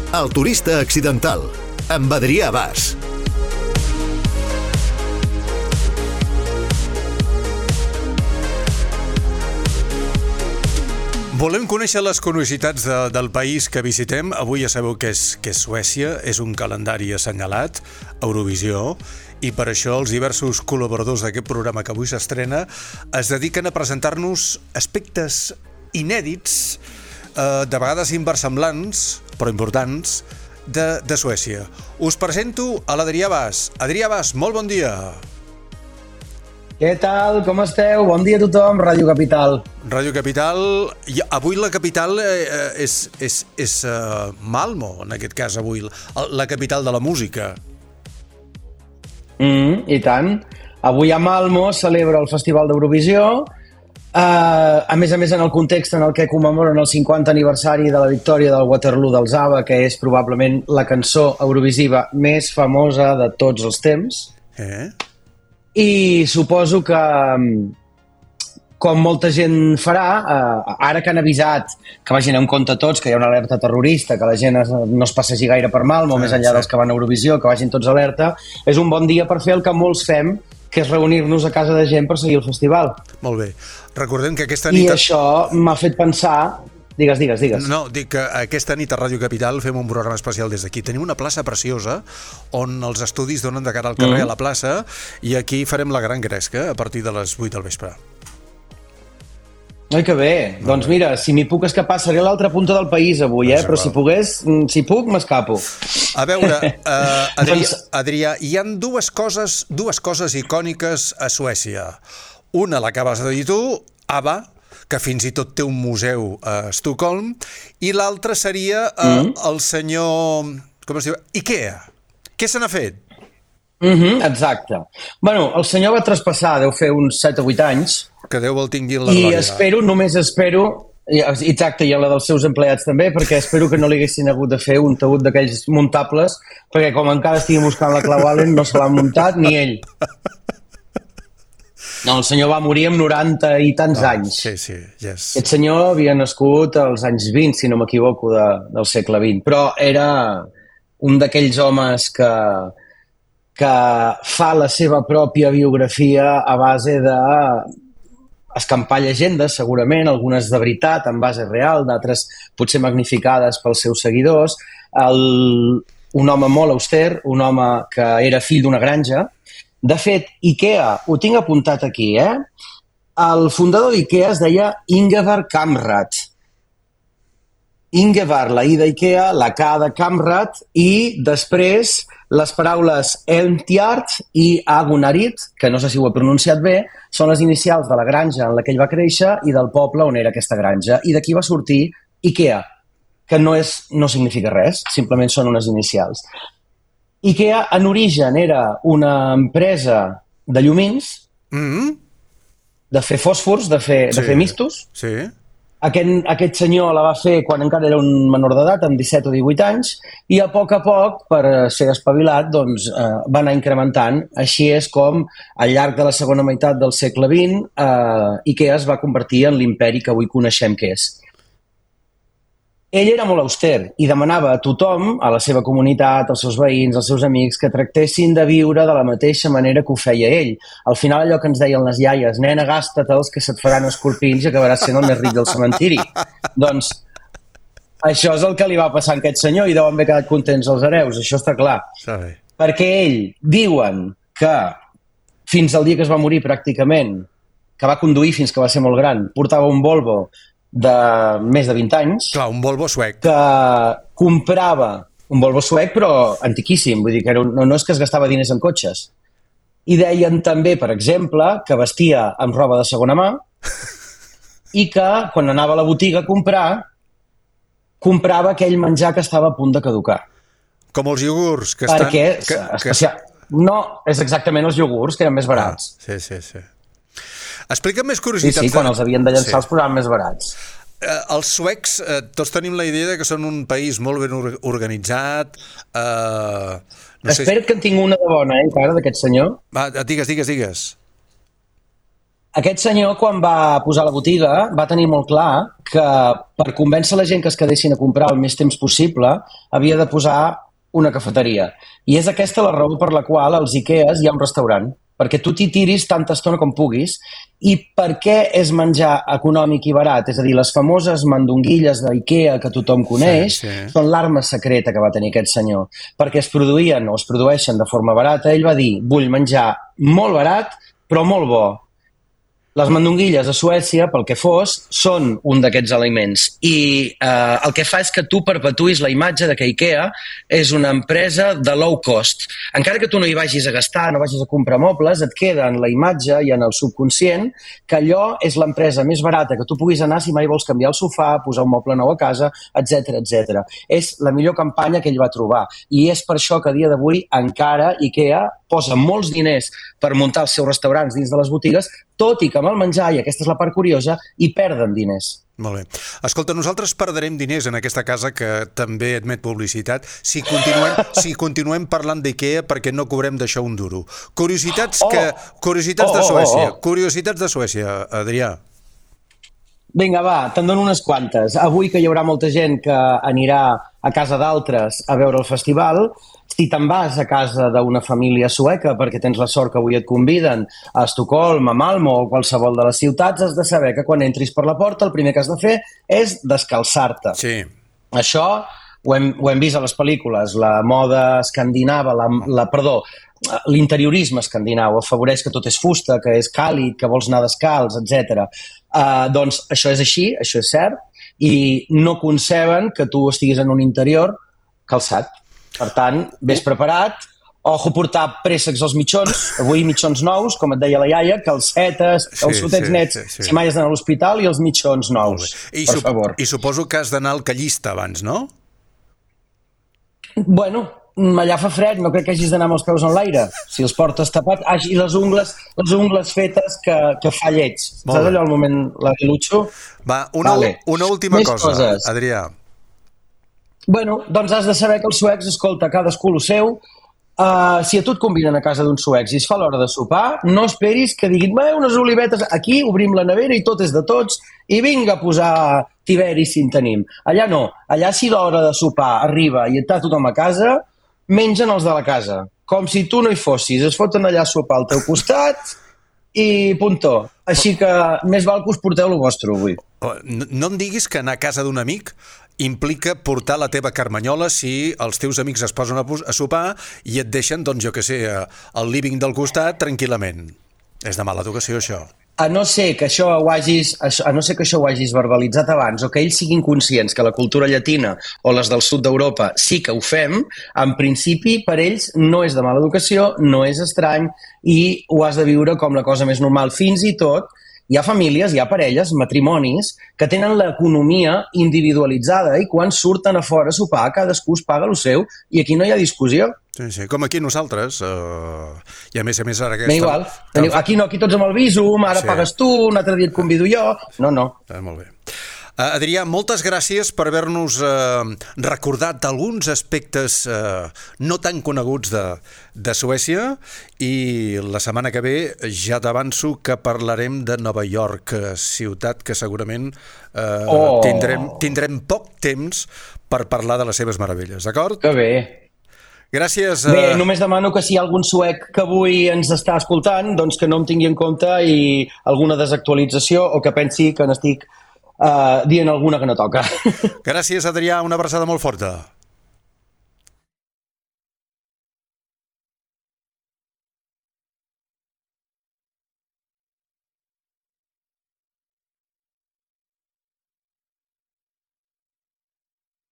El turista accidental, amb Adrià Bas. Volem conèixer les curiositats del país que visitem. Avui ja sabeu que és Suècia, és un calendari assenyalat, Eurovisió, i per això els diversos col·laboradors d'aquest programa que avui s'estrena es dediquen a presentar-nos aspectes inèdits, de vegades inversemblants, però importants, de Suècia. Us presento a l'Adrià Bas. Adrià Bas, molt bon dia. Què tal? Com esteu? Bon dia a tothom, Ràdio Capital. Ràdio Capital. Avui la capital és Malmö, en aquest cas avui, la capital de la música. I tant. Avui a Malmö celebra el Festival d'Eurovisió. A més, en el context en el que commemoren el 50 aniversari de la victòria del Waterloo dels ABBA, que és probablement la cançó eurovisiva més famosa de tots els temps. I suposo que, com molta gent farà, ara que han avisat que vagin en compte tots, que hi ha una alerta terrorista, que la gent no es passegi gaire per Malmö, més enllà dels que van a Eurovisió, que vagin tots alerta, és un bon dia per fer el que molts fem, que és reunir-nos a casa de gent per seguir el festival. Molt bé. Recordem que aquesta nit... I això m'ha fet pensar... Digues. No, dic que aquesta nit a Ràdio Capital fem un programa especial des d'aquí. Tenim una plaça preciosa on els estudis donen de cara al carrer a la plaça i aquí farem la gran gresca a partir de les 8 del vespre. Ai, que bé. Doncs mira, si m'hi puc escapar, seré a l'altra punta del país avui, però si puc, m'escapo. A veure, Adrià, hi ha dues coses icòniques a Suècia. Una l'acabes de dir tu, ABBA, que fins i tot té un museu a Estocolm, i l'altra seria el senyor... com es diu? Ikea. Què se n'ha fet? Exacte. Bueno, el senyor va traspassar, deu fer uns 7 o 8 anys. Que Déu el tingui en la glòria. I només espero, exacte, i a la dels seus empleats també, perquè espero que no li haguessin hagut de fer un taüt d'aquells muntables, perquè com encara estigui buscant la clau Allen, no se l'ha muntat ni ell. No, el senyor va morir amb 90 i tants anys. Sí, yes. Aquest senyor havia nascut als anys 20, si no m'equivoco, del segle XX, però era un d'aquells homes que fa la seva pròpia biografia a base d'escampar llegendes, segurament, algunes de veritat, en base real, d'altres potser magnificades pels seus seguidors. Un home molt auster, un home que era fill d'una granja. De fet, Ikea, ho tinc apuntat aquí, El fundador d'Ikea es deia Ingvar Kamprad. Ingvar, la I d'Ikea, la K de Kamprad, i després les paraules Elmtjart i Agunarit, que no sé si ho he pronunciat bé, són les inicials de la granja en la que ell va créixer i del poble on era aquesta granja. I d'aquí va sortir Ikea, que no significa res, simplement són unes inicials. Ikea, en origen, era una empresa de llumins, de fer fòsfors, de fer mistos. Sí. Aquest senyor la va fer quan encara era un menor d'edat, amb 17 o 18 anys, i a poc, per ser espavilat, doncs, va anar incrementant. Així és com, al llarg de la segona meitat del segle XX, Ikea es va convertir en l'imperi que avui coneixem que és. Ell era molt auster i demanava a tothom, a la seva comunitat, als seus veïns, als seus amics, que tractessin de viure de la mateixa manera que ho feia ell. Al final allò que ens deien les iaies, nena, gasta-te'ls que se't faran escorpins i acabaràs sent el més ric del cementiri. Doncs això és el que li va passar a aquest senyor i deuen haver quedat contents els hereus, això està clar. Perquè ell, diuen que fins al dia que es va morir pràcticament, que va conduir fins que va ser molt gran, portava un Volvo de més de 20 anys. Clar, un Volvo suec. Que comprava un Volvo suec, però antiquíssim. Vull dir que no és que es gastava diners en cotxes. I deien també, per exemple, que vestia amb roba de segona mà i que, quan anava a la botiga a comprar, comprava aquell menjar que estava a punt de caducar. Com els iogurts, que estan... No, és exactament els iogurts, que eren més barats. Sí. Explica'm més curiositats. Sí, quan els havien de llançar els programes més barats. Els suecs, tots tenim la idea que són un país molt ben organitzat. Espera't que en tinc una de bona, encara, d'aquest senyor. Va, digues. Aquest senyor, quan va posar la botiga, va tenir molt clar que per convèncer la gent que es quedessin a comprar el més temps possible havia de posar una cafeteria. I és aquesta la raó per la qual als Ikeas hi ha un restaurant, perquè tu t'hi tiris tanta estona com puguis. I per què és menjar econòmic i barat? És a dir, les famoses mandonguilles d'Ikea que tothom coneix són l'arma secreta que va tenir aquest senyor, perquè es produïen o es produeixen de forma barata. Ell va dir, vull menjar molt barat però molt bo. Les mandonguilles a Suècia, pel que fos, són un d'aquests aliments. I el que fa és que tu perpetuïs la imatge de que Ikea és una empresa de low cost. Encara que tu no hi vagis a gastar, no vagis a comprar mobles, et queda en la imatge i en el subconscient que allò és l'empresa més barata que tu puguis anar si mai vols canviar el sofà, posar un moble nou a casa, etc etc. És la millor campanya que ell va trobar. I és per això que a dia d'avui encara Ikea posa molts diners per muntar els seus restaurants dins de les botigues, tot i que amb el menjar, i aquesta és la part curiosa, hi perden diners. Molt bé. Escolta, nosaltres perdrem diners en aquesta casa que també admet publicitat si continuem parlant d'Ikea perquè no cobrem d'això un duro. Curiositats de Suècia. Curiositats de Suècia, Adrià. Vinga, va, te'n dono unes quantes. Avui que hi haurà molta gent que anirà a casa d'altres a veure el festival, si te'n vas a casa d'una família sueca perquè tens la sort que avui et conviden a Estocolm, a Malmö o qualsevol de les ciutats, has de saber que quan entris per la porta el primer que has de fer és descalçar-te. Sí. Això ho hem vist a les pel·lícules. La moda escandinava, l'interiorisme escandinau afavoreix que tot és fusta, que és càlid, que vols anar descalç, etc. Doncs això és així, això és cert, i no conceben que tu estiguis en un interior calçat. Per tant, vés preparat, ojo portar préssecs als mitjons, avui mitjons nous, com et deia la iaia, calcetes, els sotets nets, si mai has d'anar a l'hospital, i els mitjons nous, per favor. I suposo que has d'anar al callista abans, no? Bueno, allà fa fred, no crec que hagis d'anar amb els peus en l'aire. Si els portes tapats, i les ungles fetes que fa lleig. Saps allò al moment, l'aguilutxo? Va, una última cosa, Adrià. Bueno, doncs has de saber que els suecs, escolta, cadascú el seu. Si a tu et conviden a casa d'uns suecs i es fa l'hora de sopar, no esperis que diguin unes olivetes, aquí obrim la nevera i tot és de tots, i vinga a posar tiberi si en tenim. Allà no, allà si l'hora de sopar arriba i està tothom a casa, mengen els de la casa, com si tu no hi fossis, es foten allà a sopar al teu costat i puntó. Així que més val que us porteu el vostre avui. No em diguis que anar a casa d'un amic implica portar la teva carmanyola si els teus amics es posen a sopar i et deixen, doncs jo què sé, al living del costat tranquil·lament. És de mala educació, això. A no ser que això ho hagis verbalitzat abans o que ells siguin conscients que la cultura llatina o les del sud d'Europa sí que ho fem, en principi per ells no és de mala educació, no és estrany i ho has de viure com la cosa més normal. Fins i tot hi ha famílies, hi ha parelles, matrimonis, que tenen l'economia individualitzada i quan surten a fora a sopar cadascú es paga el seu i aquí no hi ha discussió. Sí, com aquí nosaltres. I a més ara aquesta... Igual. Aquí no, aquí tots amb el visum, ara pagues tu, un altre dia et convido jo. No. Molt bé. Adrià, moltes gràcies per haver-nos recordat alguns aspectes no tan coneguts de Suècia i la setmana que ve ja t'avanço que parlarem de Nova York, ciutat que segurament tindrem poc temps per parlar de les seves meravelles, d'acord? Que bé. Gràcies. Bé, només demano que si hi ha algun suec que avui ens està escoltant, doncs que no em tingui en compte i alguna desactualització o que pensi que n'estic dient alguna que no toca. Gràcies, Adrià, una abraçada molt forta.